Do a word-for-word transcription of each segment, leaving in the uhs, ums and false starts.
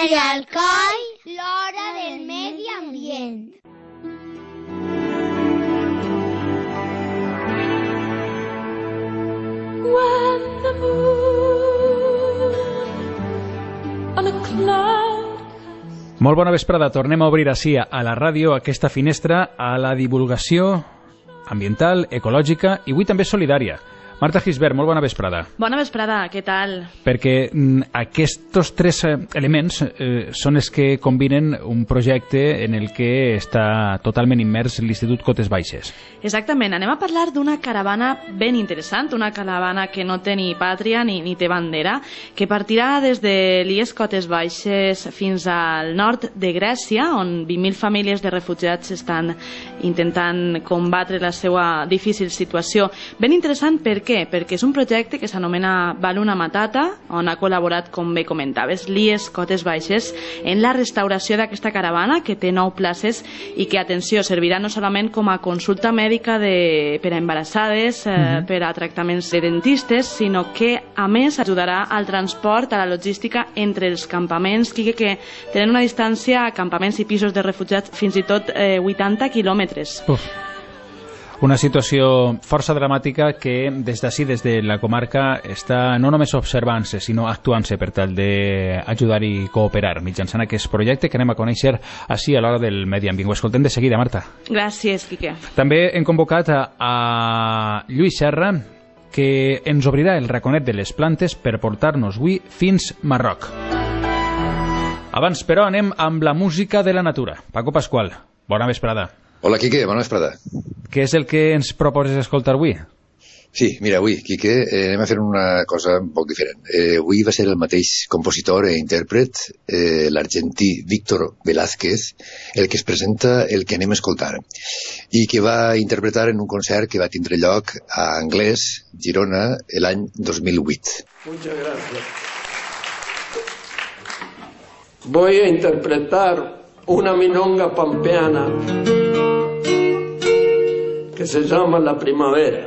Radio Alcoi, l'hora del medi ambient. When the moon on a cloud. Molt bona vesprada, tornem a obrir així a la ràdio aquesta finestra a la divulgació ambiental, ecològica i avui també solidària. Marta Gisbert, molt bona vesprada. Bona vesprada, què tal? Perquè mm, aquests tres eh, elements eh, són els que combinen un projecte en el que està totalment immers l'Institut Cotes Baixes. Exactament, anem a parlar d'una caravana ben interessant, una caravana que no té ni pàtria ni, ni té bandera, que partirà des de l'I E S Cotes Baixes fins al nord de Grècia, on vint mil famílies de refugiats estan intentant combatre la seva difícil situació. Ben interessant perquè Per què? Perquè és un projecte que s'anomena Baluna Matata, on ha col·laborat, com bé comentaves, l'I E S Cotes Baixes en la restauració d'aquesta caravana, que té nou places i que, atenció, servirà no solament com a consulta mèdica de, per a embarassades, eh, uh-huh. per a tractaments de dentistes, sinó que, a més, ajudarà al transport, a la logística entre els campaments, que, que tenen una distància a campaments i pisos de refugiats fins i tot eh, vuitanta quilòmetres. Uf. Una situació força dramàtica que des d'ací, des de la comarca, està no només observant-se, sinó actuant-se per tal d'ajudar i cooperar mitjançant aquest projecte que anem a conèixer així a l'hora del medi ambient. Ho escoltem de seguida, Marta. Gràcies, Quique. També hem convocat a, a Lluís Serra, que ens obrirà el raconet de les plantes per portar-nos avui fins Marroc. Abans, però, anem amb la música de la natura. Paco Pasqual, bona vesprada. Hola, Quique, bona vesprada. Què és el que ens proposes escoltar avui? Sí, mira, avui, Quique, eh, anem a fer una cosa un poc diferent. Eh, avui va ser el mateix compositor i intèrpret, eh, l'argentí Víctor Velázquez, el que es presenta el que anem a escoltar, i que va interpretar en un concert que va tindre lloc a Anglès, Girona, l'any dos mil vuit. Muchas gracias. Voy a interpretar una milonga pampeana que se llama La Primavera.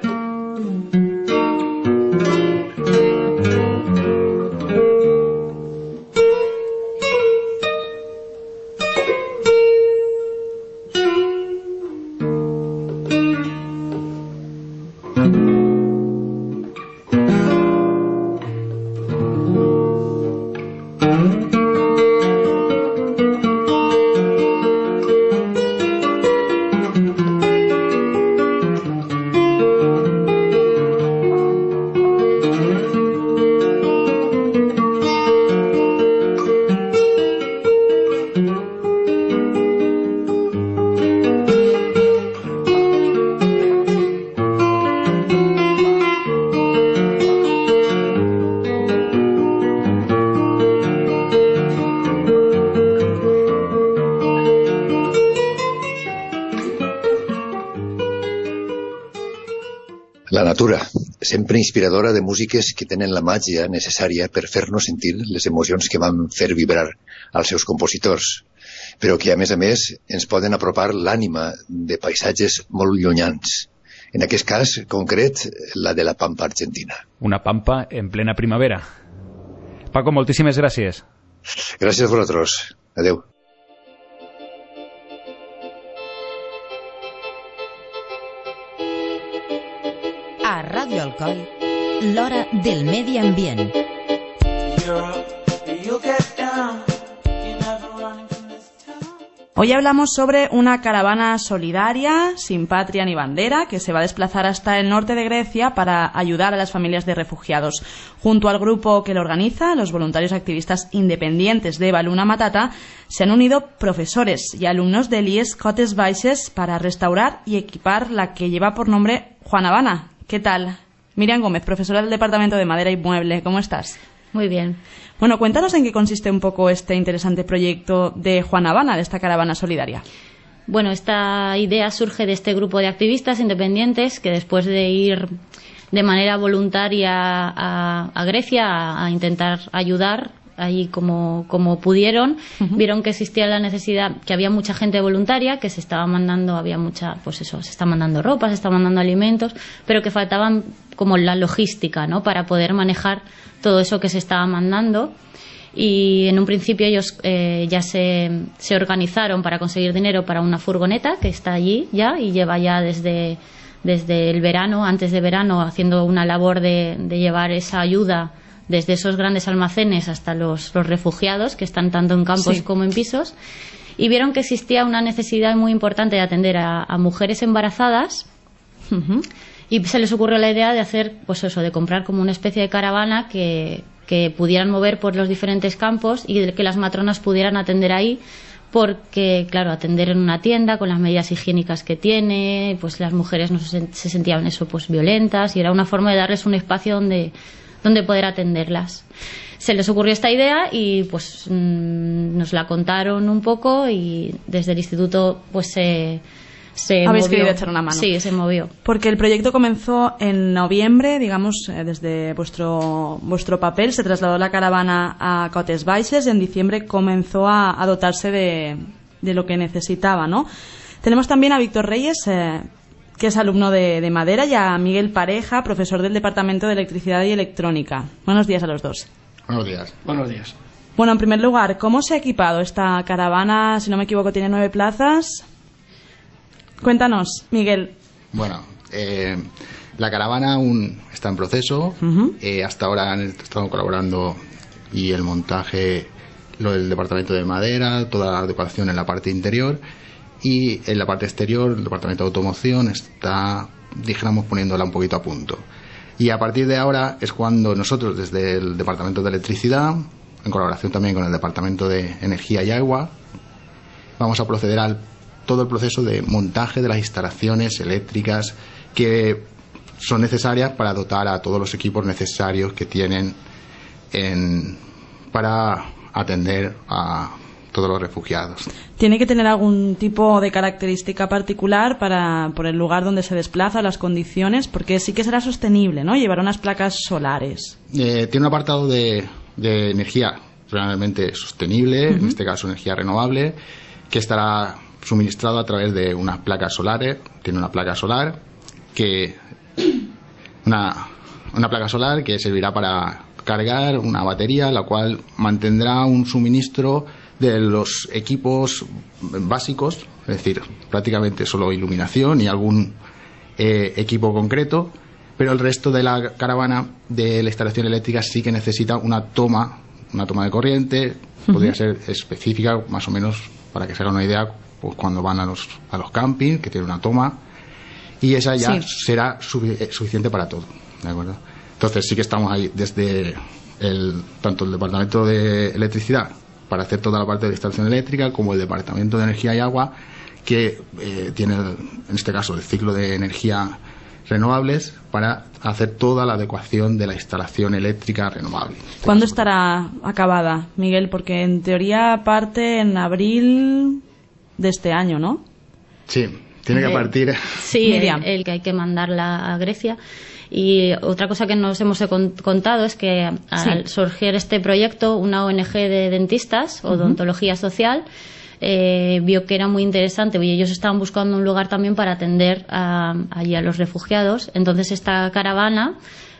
La natura, sempre inspiradora de músiques que tenen la màgia necessària per fer-nos sentir les emocions que van fer vibrar als seus compositors, però que, a més a més, ens poden apropar l'ànima de paisatges molt llunyans. En aquest cas concret, la de la Pampa argentina. Una pampa en plena primavera. Paco, moltíssimes gràcies. Gràcies a vosaltres. Adeu. A Ràdio Alcoi, l'hora del medi ambient. Hoy hablamos sobre una caravana solidaria, sin patria ni bandera, que se va a desplazar hasta el norte de Grecia para ayudar a las familias de refugiados. Junto al grupo que lo organiza, los voluntarios activistas independientes de Baluna Matata, se han unido profesores y alumnos del I E S Cotes Baixes para restaurar y equipar la que lleva por nombre Juan Habana. ¿Qué tal? Miriam Gómez, profesora del Departamento de Madera y Mueble, ¿cómo estás? Muy bien. Bueno, cuéntanos en qué consiste un poco este interesante proyecto de Juan Habana, de esta caravana solidaria. Bueno, esta idea surge de este grupo de activistas independientes que después de ir de manera voluntaria a, a Grecia a, a intentar ayudar ahí como, como pudieron, uh-huh. vieron que existía la necesidad, que había mucha gente voluntaria, que se estaba mandando, había mucha, pues eso, se está mandando ropa, se está mandando alimentos, pero que faltaban como la logística, ¿no?, para poder manejar todo eso que se estaba mandando. y en un principio ellos eh, ya se, se organizaron para conseguir dinero para una furgoneta que está allí ya y lleva ya desde, desde el verano, antes de verano, haciendo una labor de, de llevar esa ayuda desde esos grandes almacenes hasta los, los refugiados que están tanto en campos sí. como en pisos, y vieron que existía una necesidad muy importante de atender a, a mujeres embarazadas. Uh-huh. Y se les ocurrió la idea de hacer, pues eso, de comprar como una especie de caravana que, que pudieran mover por los diferentes campos y de que las matronas pudieran atender ahí, porque, claro, atender en una tienda con las medidas higiénicas que tiene, pues las mujeres no se, se sentían eso, pues violentas, y era una forma de darles un espacio donde, donde poder atenderlas. Se les ocurrió esta idea y pues mmm, nos la contaron un poco, y desde el instituto pues se... Se Habéis movió. querido echar una mano. Sí, se movió. Porque el proyecto comenzó en noviembre, digamos, eh, desde vuestro vuestro papel, se trasladó la caravana a Cotes Baixes, en diciembre comenzó a, a dotarse de, de lo que necesitaba, ¿no? Tenemos también a Víctor Reyes, eh, que es alumno de, de Madera, y a Miguel Pareja, profesor del Departamento de Electricidad y Electrónica. Buenos días a los dos. Buenos días. Buenos días. Bueno, en primer lugar, ¿cómo se ha equipado esta caravana? Si no me equivoco, tiene nueve plazas. Cuéntanos, Miguel. Bueno, eh, la caravana aún está en proceso. Uh-huh. Eh, hasta ahora han estado colaborando y el montaje, lo del departamento de madera, toda la decoración en la parte interior, y en la parte exterior el departamento de automoción está, dijéramos, poniéndola un poquito a punto. Y a partir de ahora es cuando nosotros, desde el departamento de electricidad, en colaboración también con el departamento de energía y agua, vamos a proceder al todo el proceso de montaje de las instalaciones eléctricas que son necesarias para dotar a todos los equipos necesarios que tienen en, para atender a todos los refugiados. ¿Tiene que tener algún tipo de característica particular para por el lugar donde se desplaza, las condiciones? Porque sí que será sostenible, ¿no? Llevar unas placas solares. Eh, tiene un apartado de, de energía realmente sostenible, uh-huh. en este caso energía renovable, que estará suministrado a través de unas placas solares. Tiene una placa solar que una, una placa solar que servirá para cargar una batería, la cual mantendrá un suministro de los equipos básicos, es decir, prácticamente solo iluminación y algún eh, equipo concreto, pero el resto de la caravana de la instalación eléctrica sí que necesita una toma, una toma de corriente. Uh-huh. Podría ser específica, más o menos, para que se haga una idea, pues cuando van a los a los campings, que tiene una toma, y esa ya sí. será sufi- suficiente para todo, ¿de acuerdo? Entonces sí que estamos ahí desde el tanto el departamento de electricidad para hacer toda la parte de instalación eléctrica, como el departamento de energía y agua, que eh, tiene el, en este caso el ciclo de energía renovables, para hacer toda la adecuación de la instalación eléctrica renovable. ¿Cuándo estará acabada, Miguel? Porque en teoría parte en abril de este año, ¿no? Sí, tiene que partir. Sí, el, el que hay que mandarla a Grecia. Y otra cosa que nos hemos contado es que al sí. surgir este proyecto, una O N G de dentistas, uh-huh. odontología social, eh, vio que era muy interesante, y ellos estaban buscando un lugar también para atender a, allí a los refugiados. Entonces esta caravana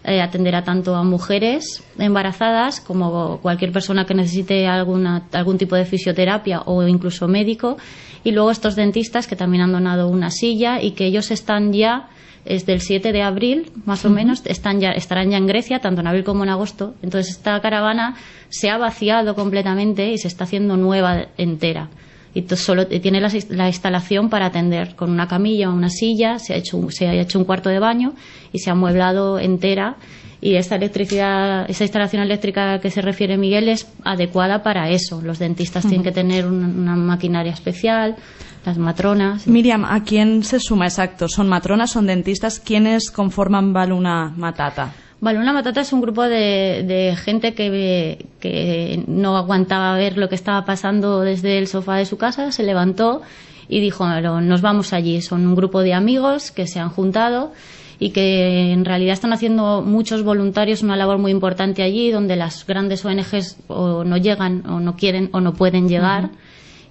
eh, atenderá tanto a mujeres embarazadas como cualquier persona que necesite alguna, algún tipo de fisioterapia o incluso médico, y luego estos dentistas que también han donado una silla, y que ellos están ya desde el siete de abril, más o uh-huh. menos, están ya, estarán ya en Grecia, tanto en abril como en agosto. Entonces esta caravana se ha vaciado completamente y se está haciendo nueva entera. Y solo tiene la, la instalación para atender con una camilla o una silla, se ha hecho se ha hecho un cuarto de baño y se ha amueblado entera. Y esta electricidad, esa instalación eléctrica que se refiere Miguel es adecuada para eso. Los dentistas uh-huh. tienen que tener una, una maquinaria especial, las matronas. Miriam, ¿a quién se suma exacto? ¿Son matronas, son dentistas? ¿Quiénes conforman Baluna Matata? Baluna Matata es un grupo de, de gente que, que no aguantaba ver lo que estaba pasando desde el sofá de su casa, se levantó y dijo, nos vamos allí. Son un grupo de amigos que se han juntado y que en realidad están haciendo muchos voluntarios una labor muy importante allí, donde las grandes O N Ges o no llegan o no quieren o no pueden llegar. Uh-huh.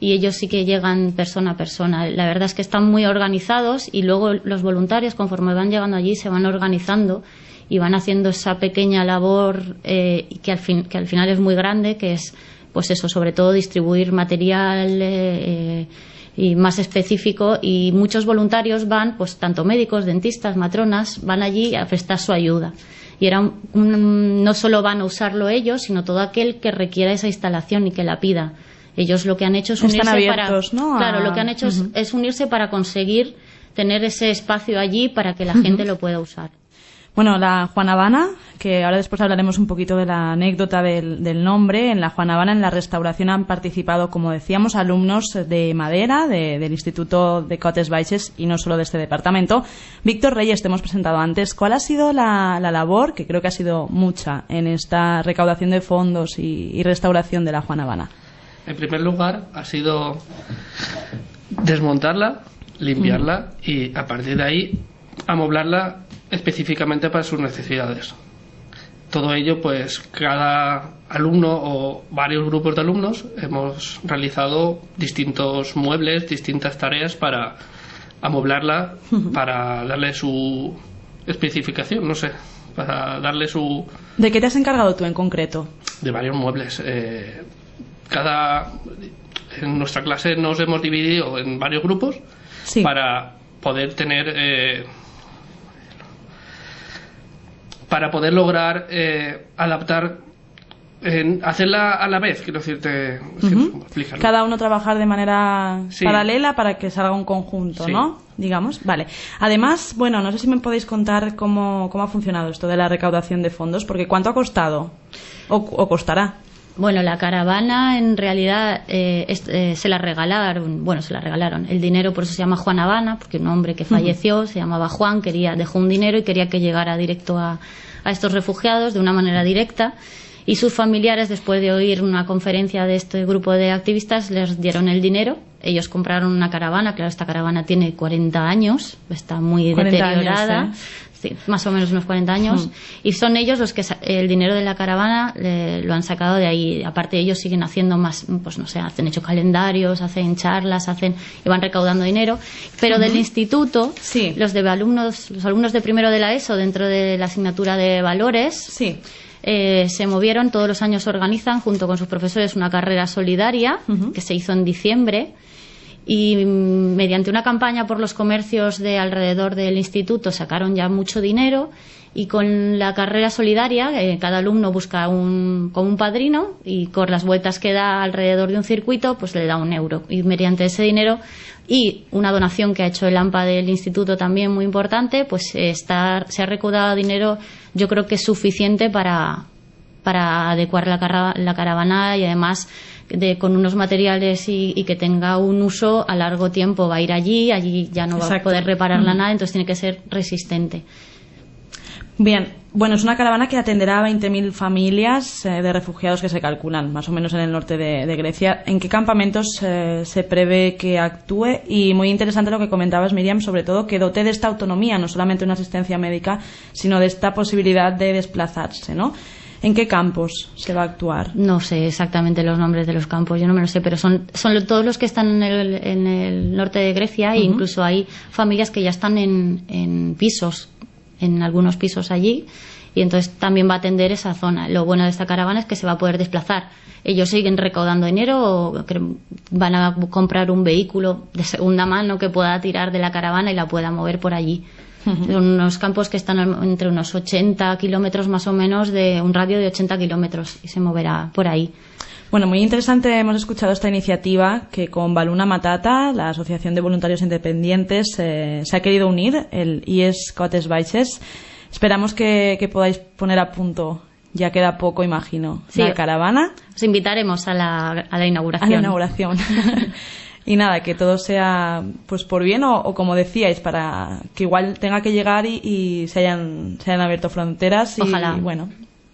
Y ellos sí que llegan persona a persona. La verdad es que están muy organizados, y luego los voluntarios, conforme van llegando allí, se van organizando y van haciendo esa pequeña labor eh, que, al fin, que al final es muy grande, que es pues eso, sobre todo distribuir material eh, y más específico, y muchos voluntarios van, pues tanto médicos, dentistas, matronas, van allí a prestar su ayuda. Y era un, un, no solo van a usarlo ellos, sino todo aquel que requiera esa instalación y que la pida. Ellos lo que han hecho es unirse. Están abiertos, para, ¿no? Claro, a... lo que han hecho uh-huh. es, es unirse para conseguir tener ese espacio allí para que la uh-huh. gente lo pueda usar. Bueno, la Juan Habana, que ahora después hablaremos un poquito de la anécdota del, del nombre. En la Juan Habana, en la restauración, han participado, como decíamos, alumnos de Madera, de, del Instituto de Cotes Baixes, y no solo de este departamento. Víctor Reyes, te hemos presentado antes. ¿Cuál ha sido la, la labor, que creo que ha sido mucha, en esta recaudación de fondos y, y restauración de la Juan Habana? En primer lugar, ha sido desmontarla, limpiarla mm. y, a partir de ahí, amoblarla específicamente para sus necesidades. Todo ello, pues cada alumno o varios grupos de alumnos hemos realizado distintos muebles, distintas tareas para amoblarla, uh-huh. para darle su especificación, no sé, para darle su... ¿De qué te has encargado tú en concreto? De varios muebles. Eh, cada... En nuestra clase nos hemos dividido en varios grupos sí. para poder tener... Eh, para poder lograr eh, adaptar, eh, hacerla a la vez, quiero decirte, uh-huh. explícalo. Cada uno trabajar de manera sí. paralela para que salga un conjunto, sí. ¿no? Digamos, vale. Además, bueno, no sé si me podéis contar cómo, cómo ha funcionado esto de la recaudación de fondos, porque ¿cuánto ha costado? ¿O, o costará? Bueno, la caravana en realidad eh, es, eh, se la regalaron, bueno, se la regalaron. El dinero, por eso se llama Juan Habana, porque un hombre que falleció uh-huh. se llamaba Juan, quería dejó un dinero y quería que llegara directo a, a estos refugiados de una manera directa. Y sus familiares, después de oír una conferencia de este grupo de activistas, les dieron el dinero. Ellos compraron una caravana, claro, esta caravana tiene cuarenta años, está muy deteriorada. Años, ¿eh? Sí, más o menos unos cuarenta años, mm. y son ellos los que el dinero de la caravana eh, lo han sacado de ahí. Aparte, ellos siguen haciendo más, pues no sé, hacen hecho calendarios, hacen charlas, hacen y van recaudando dinero. Pero uh-huh. del instituto, sí. los de alumnos, los alumnos de primero de la ESO, dentro de la asignatura de valores, sí. eh, se movieron. Todos los años organizan, junto con sus profesores, una carrera solidaria uh-huh. que se hizo en diciembre. Y mediante una campaña por los comercios de alrededor del instituto sacaron ya mucho dinero, y con la carrera solidaria eh, cada alumno busca un, como un padrino, y con las vueltas que da alrededor de un circuito pues le da un euro, y mediante ese dinero y una donación que ha hecho el AMPA del instituto también muy importante, pues eh, está, se ha recaudado dinero, yo creo que es suficiente para, para adecuar la, cara, la caravana, y además de, con unos materiales y, y que tenga un uso a largo tiempo. Va a ir allí, allí ya no va Exacto. a poder repararla mm. nada, entonces tiene que ser resistente. Bien, bueno, es una caravana que atenderá a veinte mil familias eh, de refugiados que se calculan más o menos en el norte de, de Grecia. ¿En qué campamentos eh, se prevé que actúe? Y muy interesante lo que comentabas, Miriam, sobre todo que dote de esta autonomía, no solamente una asistencia médica, sino de esta posibilidad de desplazarse, ¿no? ¿En qué campos se va a actuar? No sé exactamente los nombres de los campos, yo no me lo sé, pero son, son todos los que están en el, en el norte de Grecia, uh-huh. e incluso hay familias que ya están en, en pisos, en algunos pisos allí, y entonces también va a atender esa zona. Lo bueno de esta caravana es que se va a poder desplazar. Ellos siguen recaudando dinero, o van a comprar un vehículo de segunda mano que pueda tirar de la caravana y la pueda mover por allí. Uh-huh. Son unos campos que están entre unos ochenta kilómetros más o menos, de un radio de ochenta kilómetros, y se moverá por ahí. Bueno, muy interesante. Hemos escuchado esta iniciativa que con Baluna Matata, la Asociación de Voluntarios Independientes, eh, se ha querido unir, el I E S Cotes Baixes. Esperamos que, que podáis poner a punto, ya queda poco, imagino, sí, la caravana. Os invitaremos a la, a la inauguración. A la inauguración. Y nada, que todo sea pues por bien, o, o como decíais, para que igual tenga que llegar y, y se hayan se hayan abierto fronteras. Y, Ojalá. Y bueno.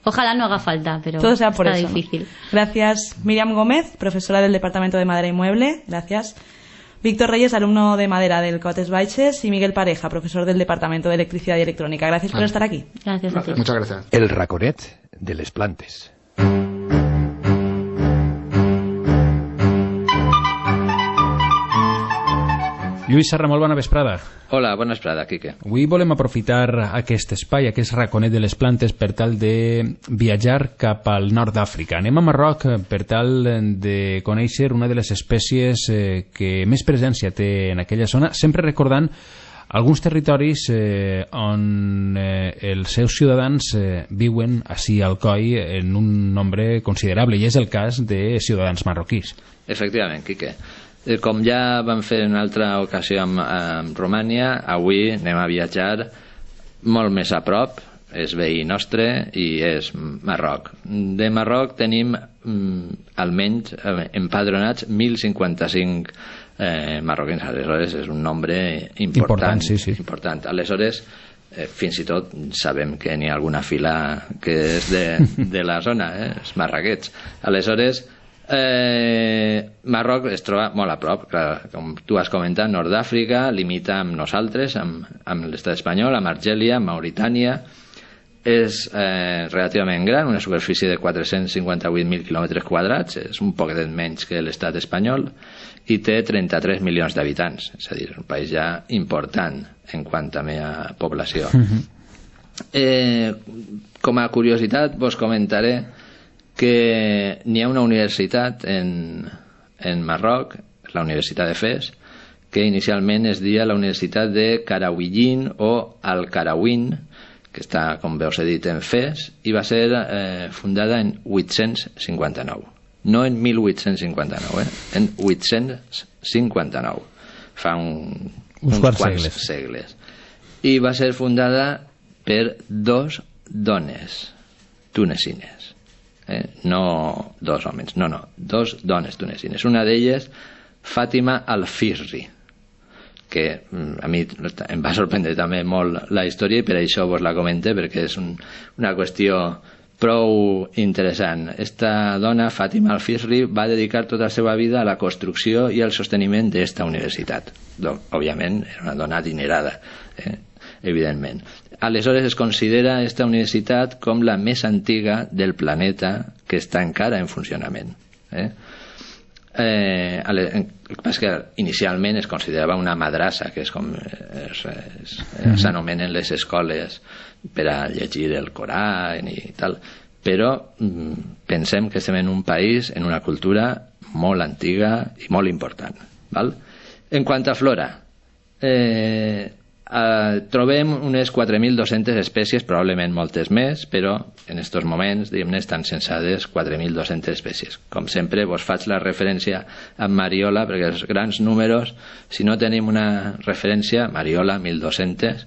Ojalá no haga falta, pero todo sea por está eso, difícil. ¿no? Gracias, Miriam Gómez, profesora del Departamento de Madera y Mueble. Gracias. Víctor Reyes, alumno de madera del Cotes Baixes, y Miguel Pareja, profesor del Departamento de Electricidad y Electrónica. Gracias vale. por estar aquí. Gracias a ti. Muchas gracias. El raconet de les plantes. Lluís Serra, molt bona vesprada. Hola, bona vesprada, Quique. Avui volem aprofitar aquest espai, aquest raconet de les plantes, per tal de viatjar cap al nord d'Àfrica. Anem a Marroc per tal de conèixer una de les espècies que més presència té en aquella zona, sempre recordant alguns territoris eh, on eh, els seus ciutadans eh, viuen ací al coll en un nombre considerable, i és el cas de ciutadans marroquís. Efectivament, Quique. Com ja vam fer en una altra ocasió amb, amb Romània, avui anem a viatjar molt més a prop, és veí nostre i és Marroc. De Marroc tenim mm, almenys empadronats mil cinquanta-cinc eh, marroquins, aleshores és un nombre important. Important, sí, sí. Important. Aleshores, eh, fins i tot sabem que n'hi ha alguna fila que és de, de la zona, eh, els marraquets. Aleshores, Eh, Marroc es troba molt a prop, clar, com tu has comentat, nord d'Àfrica, limita amb nosaltres, amb, amb l'estat espanyol, amb Argèlia, amb Mauritània. És eh, relativament gran, una superfície de quatre-cents cinquanta-vuit mil quilòmetres quadrats, és un poquet menys que l'estat espanyol, i té trenta-tres milions d'habitants, és a dir, un país ja important en quant també a població. eh, com a curiositat vos comentaré que n'hi ha una universitat en, en Marroc, la Universitat de Fes, que inicialment es deia la Universitat de Karawiyyin o Al-Karawin, que està, com veus, he dit, en Fes, i va ser eh, fundada en vuit-cents cinquanta-nou. No en mil vuit-cents cinquanta-nou, eh? En vuit-cents cinquanta-nou. Fa un, uns, uns quants segles. segles. I va ser fundada per dos dones tunesines. Eh? No dos homes, no, no, dos dones tunesines. Una d'elles, Fàtima Al-Fisri, que a mi em va sorprendre també molt la història i per això vos la comente, perquè és un, una qüestió prou interessant. Esta dona, Fàtima Al-Fisri, va dedicar tota la seva vida a la construcció i al sosteniment d'esta universitat. Donc, òbviament, era una dona adinerada, eh? evidentment. Aleshores es considera esta universitat com la més antiga del planeta que està encara en funcionament. Eh? Eh, que inicialment es considerava una madrassa, que és com s'anomenen les escoles per a llegir el Corà i tal, però mm, pensem que estem en un país, en una cultura molt antiga i molt important. Val? En quant a flora, eh, Uh, trobem unes quatre mil dos-centes espècies, probablement moltes més, però en aquests moments, diguem-ne, estan censades quatre mil dos-centes espècies. Com sempre, vos faig la referència a Mariola, perquè els grans números, si no tenim una referència, Mariola, mil dos-cents,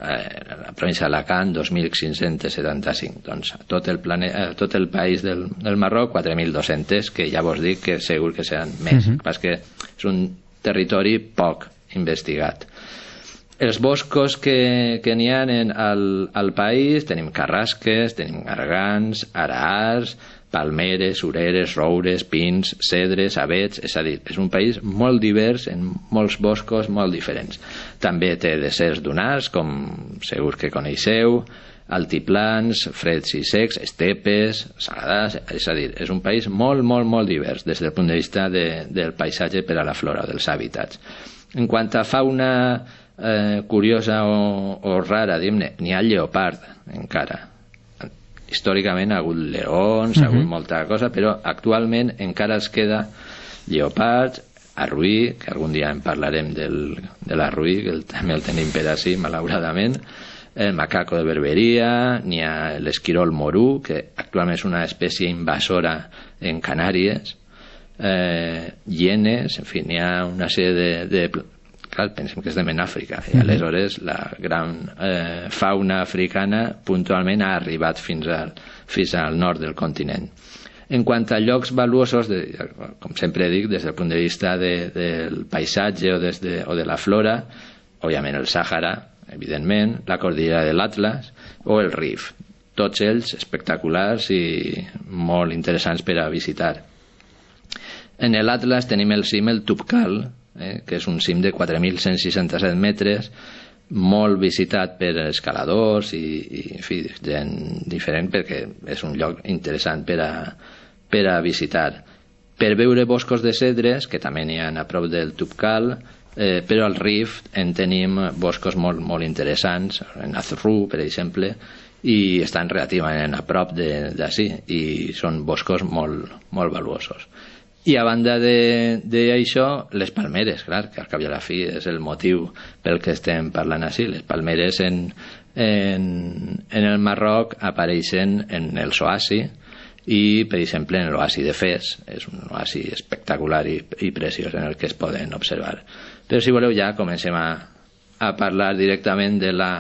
eh, la província d'Alacant, dos mil cinc-cents setanta-cinc. Doncs tot el, plane... tot el país del, del Marroc, quatre mil dos-cents, que ja vos dic que segur que seran més, uh-huh. perquè és un territori poc investigat. Els boscos que, que n'hi ha en, al, al país, tenim carrasques, tenim gargants, araars, palmeres, sureres, roures, pins, cedres, avets, és a dir, és un país molt divers en molts boscos molt diferents. També té deserts dunars, com segur que coneixeu, altiplans, freds i secs, estepes, saladars, és a dir, és un país molt, molt, molt divers des del punt de vista de, del paisatge per a la flora, dels hàbitats. En quant a fauna Eh, curiosa o, o rara, diguem-ne, n'hi ha lleopard encara. Històricament ha hagut leons, uh-huh. ha hagut molta cosa, però actualment encara es queda lleopard, arruí, que algun dia en parlarem del, de l'arruí, que el, també el tenim per ací, malauradament, el macaco de Berberia, n'hi ha l'esquirol morú, que actualment és una espècie invasora en Canàries, eh, hienes, en fi, n'hi ha una sèrie de, de clar, pensem que estem en Àfrica i aleshores la gran eh, fauna africana puntualment ha arribat fins al, fins al nord del continent. En quant a llocs valuosos, de, com sempre dic, des del punt de vista de, del paisatge o, des de, o de la flora, òbviament el Sàhara, evidentment, la cordillera de l'Atlas o el Rif, tots ells espectaculars i molt interessants per a visitar. En l'Atlas tenim el cim, el Tubkal, Eh, que és un cim de quatre mil cent seixanta-set metres, molt visitat per escaladors i, i en fi, gent diferent, perquè és un lloc interessant per a, per a visitar. Per veure boscos de cedres, que també n'hi ha a prop del Tubkal, eh, però al Rift en tenim boscos molt, molt interessants, en Azurru, per exemple, i estan relativament a prop d'ací, i són boscos molt, molt valuosos. I a banda d'això, les palmeres, clar, que al cap i a la fi és el motiu pel que estem parlant així. Les palmeres en, en, en el Marroc apareixen en els oasis, i per exemple en l'oasi de Fes, és un oasi espectacular i, i preciós en el que es poden observar. Però si voleu ja comencem a, a parlar directament de la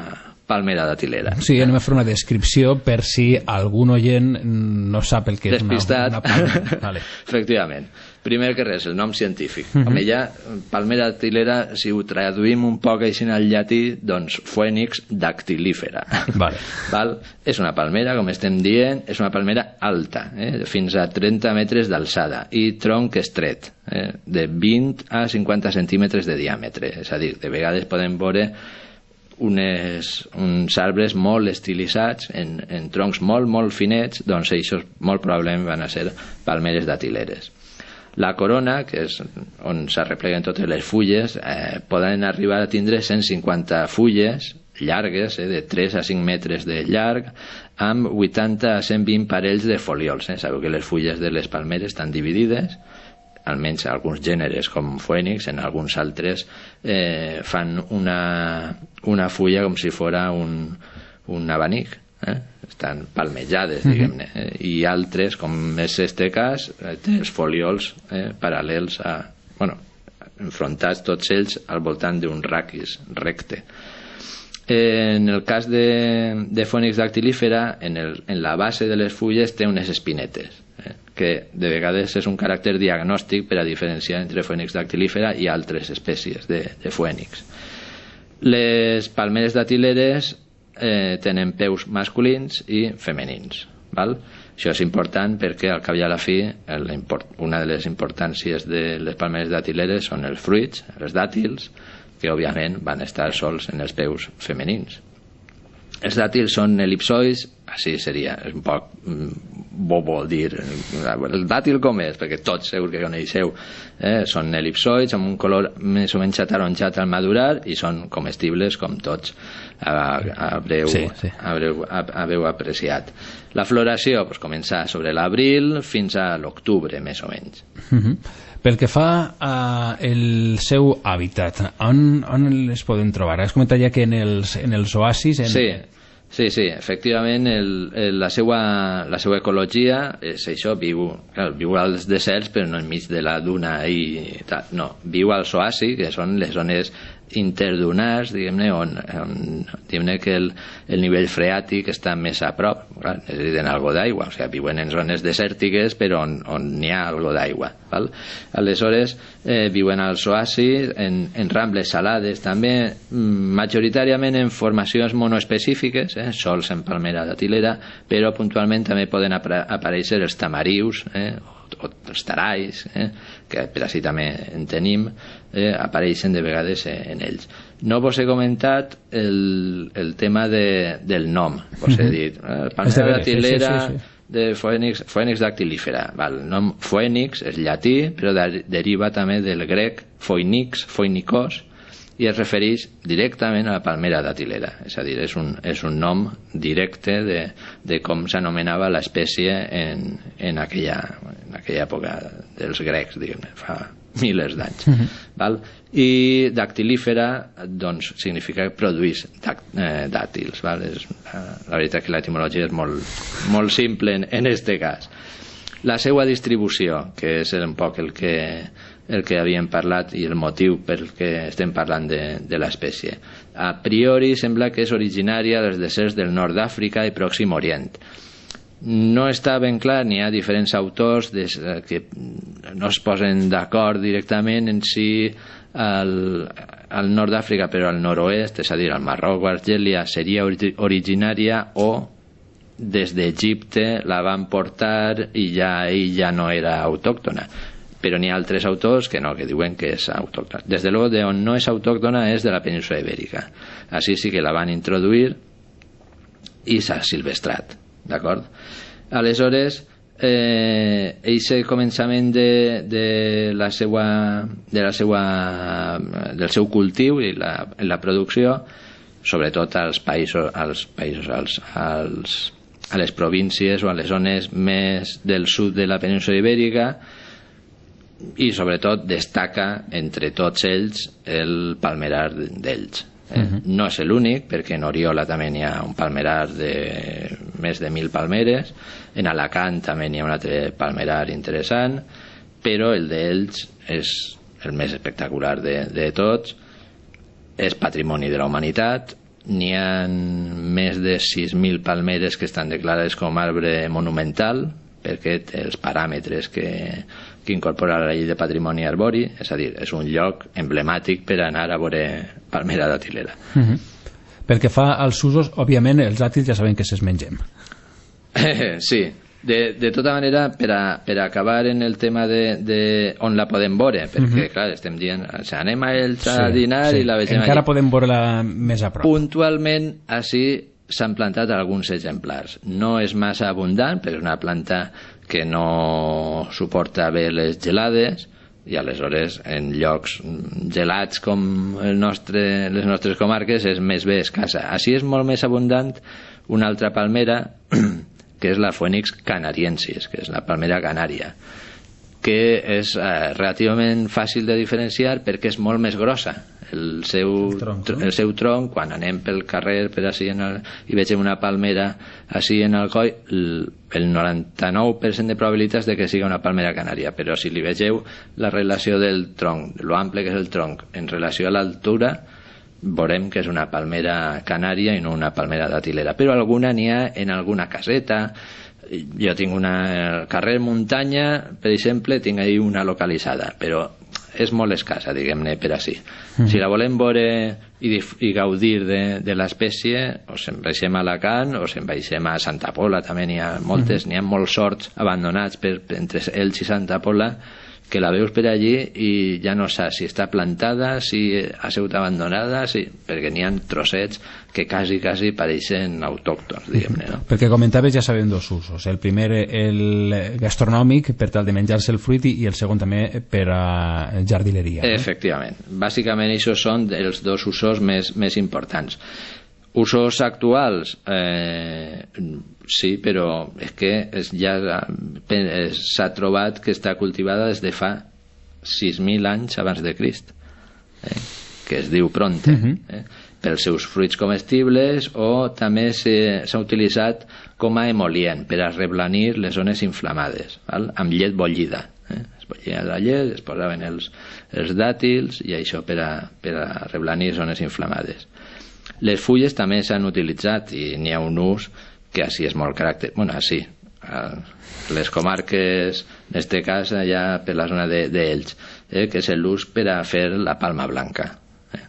palmera datilera. Sí, anem a fer una descripció per si algun oient no sap el que és una, una palmera. Vale. Efectivament. Primer que res, el nom científic. Uh-huh. Home, ja, palmera datilera, si ho traduïm un poc així al llatí, doncs Phoenix dactilífera. Vale. Val? És una palmera, com estem dient, és una palmera alta, eh? fins a trenta metres d'alçada, i tronc estret, eh? de vint a cinquanta centímetres de diàmetre. És a dir, de vegades podem veure unes, uns arbres molt estilitzats en, en troncs molt, molt finets, doncs això molt probablement van a ser palmeres datileres. La corona, que és on s'arrepleguen totes les fulles, eh, poden arribar a tindre cent cinquanta fulles llargues, eh, de tres a cinc metres de llarg, amb vuitanta a cent vint parells de folíols. Eh? Sabeu que les fulles de les palmeres estan dividides, almenys alguns gèneres com Phoenix, en alguns altres eh, fan una, una fulla com si fora un, un abanic, eh? Estan palmejades, diguem-ne, eh? I altres, com és este cas, eh, té els folíols eh, paral·lels a, bueno, enfrontats tots ells al voltant d'un raquis recte. Eh, en el cas de, de Phoenix dactilífera, en, el, en la base de les fulles té unes espinetes, eh, que de vegades és un caràcter diagnòstic per a diferenciar entre Phoenix dactilífera i altres espècies de, de Phoenix. Les palmeres datileres eh, tenen peus masculins i femenins, val? Això és important perquè al cap i a la fi una de les importàncies de les palmeres datileres són els fruits, els dàtils, que òbviament van estar sols en els peus femenins. Els dàtils són elipsoids, així seria, és un poc bobo dir el dàtil com és, perquè tots segur que coneixeu, eh? Són elipsoids amb un color més o menys ataronjat al madurar i són comestibles com tots haureu, sí, sí. haureu, haureu apreciat. La floració pues, comença sobre l'abril fins a l'octubre més o menys. Uh-huh. Pel que fa al seu hàbitat, on, on les podem trobar? Has comentat ja que en els, en els oasis... En... Sí, sí, sí, efectivament el, el, la, seva, la seva ecologia és això, viu, clar, viu als deserts però no enmig de la duna i tal, no, viu als oasis, que són les zones interdunars, diguem-ne, on, on diguem-ne que el, el nivell freàtic està més a prop, clar, necessiten algo d'aigua, o sigui, viuen en zones desèrtiques però on, on n'hi ha algo d'aigua, val? Aleshores eh, viuen als oasis, en, en rambles salades també, majoritàriament en formacions monoespecífiques, eh, sols en palmera datilera, però puntualment també poden aparèixer els tamarius, eh, o els tarais, eh, que per així també en tenim, eh, apareixen de vegades en ells. No vos he comentat el, el tema de, del nom, vos he dit, eh, palmera datilera sí, sí, sí, sí. de Phoenix, Phoenix dactilífera. Val, el nom Phoenix és llatí, però de, deriva també del grec Phoenix, Phoenikos, i es refereix directament a la palmera datilera, és a dir, és un, és un nom directe de, de com s'anomenava l'espècie en, en, aquella, en aquella època dels grecs, diguem-ne, fa milers d'anys. Uh-huh. Val? I dactilífera doncs, significa que produeix eh, dàtils. Val? És, la veritat que l'etimologia és molt, molt simple en, en este cas. La seva distribució, que és un poc el que el que havíem parlat i el motiu pel que estem parlant de, de l'espècie. A priori sembla que és originària dels deserts del nord d'Àfrica i Pròxim Orient. No està ben clar, n'hi ha diferents autors des, que no es posen d'acord directament en si al, al nord d'Àfrica, però al nord-oest, és a dir, al Marroc o Argèlia, seria originària o des d'Egipte la van portar i ja ell ja no era autòctona. Però n'hi ha altres autors que no, que diuen que és autòctona. Des de luego, de on no és autòctona és de la península ibèrica. Així sí que la van introduir i s'ha silvestrat, d'acord? Aleshores, eh, eixe començament de, de la seva, de la seva, del seu cultiu i la, la producció, sobretot als països, als països als, als, a les províncies o a les zones més del sud de la península ibèrica, i sobretot destaca entre tots ells el palmerar d'ells. Eh? Uh-huh. No és l'únic, perquè en Oriola també hi ha un palmerar de més de mil palmeres, en Alacant també hi ha un altre palmerar interessant, però el d'ells és el més espectacular de, de tots, és patrimoni de la humanitat, n'hi ha més de sis mil palmeres que estan declarades com arbre monumental, perquè té els paràmetres que, que incorpora la llei de patrimoni arbori, és a dir, és un lloc emblemàtic per anar a veure palmera datilera. Uh-huh. Pel que fa als usos, òbviament els dàtils ja sabem que se'ls mengem. Sí, de, de tota manera, per a, per a acabar en el tema de, de on la podem veure, perquè, uh-huh. clar, estem dient, o sigui, anem a ells a sí, dinar sí. i la vegem encara allí. Podem veure-la més a prop. Puntualment, així s'han plantat alguns exemplars. No és massa abundant, perquè és una planta que no suporta bé les gelades, i aleshores en llocs gelats com el nostre, les nostres comarques és més bé escassa. Així és molt més abundant una altra palmera que és la Phoenix canariensis, que és la palmera canària, que és eh, relativament fàcil de diferenciar perquè és molt més grossa. El seu, el tronc, no? el seu tronc, quan anem pel carrer per així en el, i vegem una palmera així en el coll, el, el noranta-nou per cent de probabilitats de que siga una palmera canària, però si li vegeu la relació del tronc, lo ample que és el tronc en relació a l'altura, veurem que és una palmera canària i no una palmera datilera, però alguna n'hi ha en alguna caseta. Jo tinc una al carrer Muntanya, per exemple, tinc ahí una localitzada, però és molt escassa, diguem-ne, per així. Mm. Si la volem veure i, i gaudir de, de l'espècie, o se'n baixem a Alacant o se'n baixem a Santa Pola, també n'hi ha moltes, mm. n'hi ha molts horts abandonats per, entre Elx i Santa Pola, que la veus per allí i ja no saps si està plantada, si ha sigut abandonada, si... perquè n'hi ha trossets que quasi, quasi pareixen autòctons, diguem-ne, no? Perquè comentaves, ja sabem dos usos. El primer, el gastronòmic, per tal de menjar-se el fruit, i el segon també per a jardineria. No? Efectivament. Bàsicament, això són els dos usos més, més importants. Usos actuals, eh, sí, però és que és, ja s'ha trobat que està cultivada des de fa sis mil anys abans de Crist, eh, que es diu Pronte, uh-huh. eh, pels seus fruits comestibles, o també s'ha utilitzat com a emolient per a reblanir les zones inflamades, val? Amb llet bullida. Eh? Es bullia la llet, es posaven els, els dàtils, i això per a, per a reblanir zones inflamades. Les fulles també s'han utilitzat i n'hi ha un ús que així és molt caràcter... Bueno, així, les comarques, en este cas, allà per la zona d'Elx, eh, que és l'ús per a fer la palma blanca. Eh.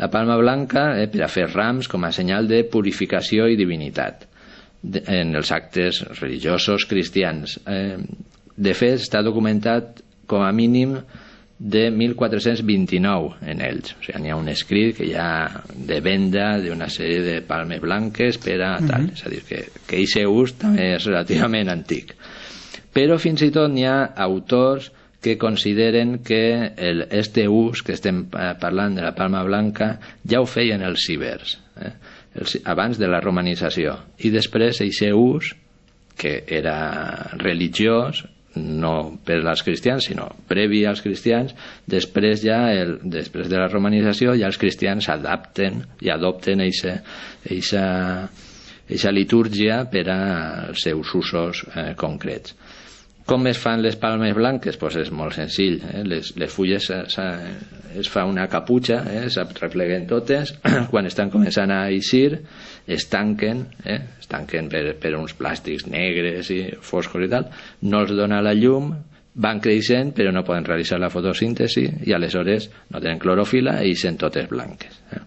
La palma blanca, eh, per a fer rams com a senyal de purificació i divinitat de, en els actes religiosos cristians. Eh, de fet, està documentat com a mínim de mil quatre-cents vint-i-nou en ells. O sigui, n'hi ha un escrit que hi ha de venda d'una sèrie de palmes blanques per a tal. Uh-huh. És a dir, que, que aquest ús també és relativament antic. Però fins i tot n'hi ha autors que consideren que el, este ús que estem parlant de la palma blanca ja ho feien els cibers, eh? els, abans de la romanització. I després aquest ús, que era religiós, no per als cristians, sinó previ als cristians, després ja el, després de la romanització ja els cristians adapten i adopten aquesta litúrgia per als seus usos eh, concrets. Com es fan les palmes blanques? Pues és molt senzill, eh? les, les fulles es fa una caputxa, eh? s'arrepleguen totes, quan estan començant a eixir es tanquen, eh? es tanquen per, per uns plàstics negres i foscos i tal, no els dona la llum, van creixent però no poden realitzar la fotosíntesi i aleshores no tenen clorofila i eixen totes blanques. Eh?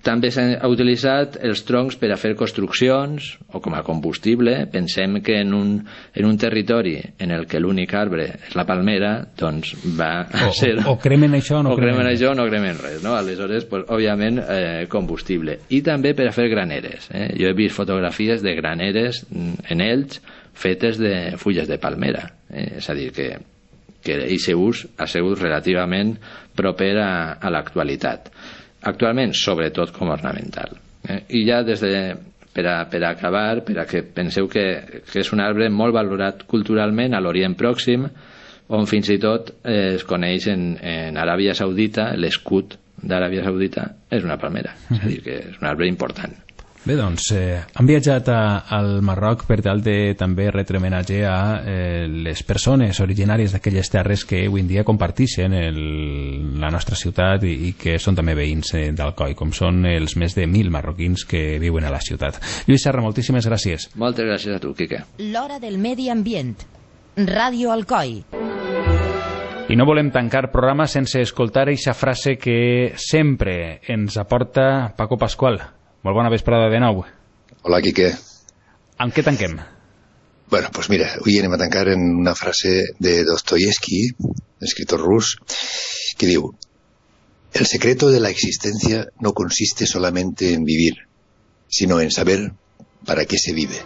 També s'han utilitzat els troncs per a fer construccions o com a combustible. Pensem que en un, en un territori en el que l'únic arbre és la palmera, doncs va o, ser... O, o cremen això o no o cremen, cremen això o no cremen res, no? Aleshores, pues, òbviament, eh, combustible. I també per a fer graneres. Eh? Jo he vist fotografies de graneres en Elx fetes de fulles de palmera. Eh? És a dir, que que aquest ús ha sigut relativament proper a, a l'actualitat. Actualment, sobretot com ornamental. Eh? I ja des de, per a, per a acabar, per a que penseu que, que és un arbre molt valorat culturalment a l'Orient Pròxim, on fins i tot eh, es coneix en, en Aràbia Saudita, l'escut d'Aràbia Saudita és una palmera, és a dir, que és un arbre important. Bé, doncs, eh, han viatjat a, al Marroc per tal de també retre homenatge a eh, les persones originàries d'aquelles terres que avui en dia comparteixen el, la nostra ciutat i, i que són també veïns eh, d'Alcoi, com són els més de mil marroquins que viuen a la ciutat. Lluís Serra, moltíssimes gràcies. Moltes gràcies a tu, Quique. L'Hora del Medi Ambient. Ràdio Alcoi. I no volem tancar programa sense escoltar eixa frase que sempre ens aporta Paco Pascual. Molt bona vesprada de nou. Hola, Quique. Amb què tanquem? Bueno, pues mira, hoy anem a tancar en una frase de Dostoyevsky, escritor rus, que diu: el secreto de la existencia no consiste solamente en vivir, sino en saber para qué se vive.